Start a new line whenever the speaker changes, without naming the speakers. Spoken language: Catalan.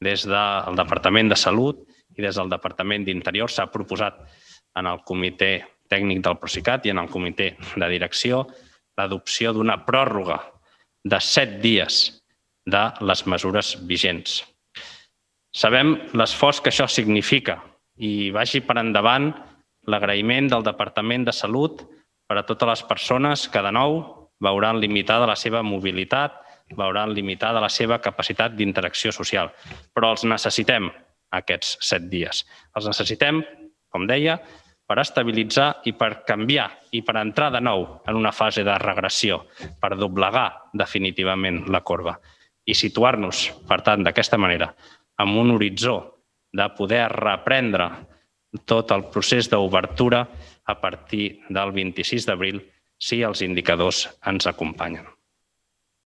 des del Departament de Salut i des del Departament d'Interior s'ha proposat en el comitè tècnic del Procicat i en el comitè de direcció l'adopció d'una pròrroga de 7 dies de les mesures vigents. Sabem l'esforç que això significa i vagi per endavant l'agraïment del Departament de Salut per a totes les persones que de nou veuran limitada la seva mobilitat, veuran limitada la seva capacitat d'interacció social. Però els necessitem, aquests 7 dies. Els necessitem, com deia, per estabilitzar i per canviar i per entrar de nou en una fase de regressió, per doblegar definitivament la corba i situar-nos, per tant, d'aquesta manera, amb un horitzó de poder reprendre tot el procés d'obertura a partir del 26 d'abril si els indicadors ens acompanyen.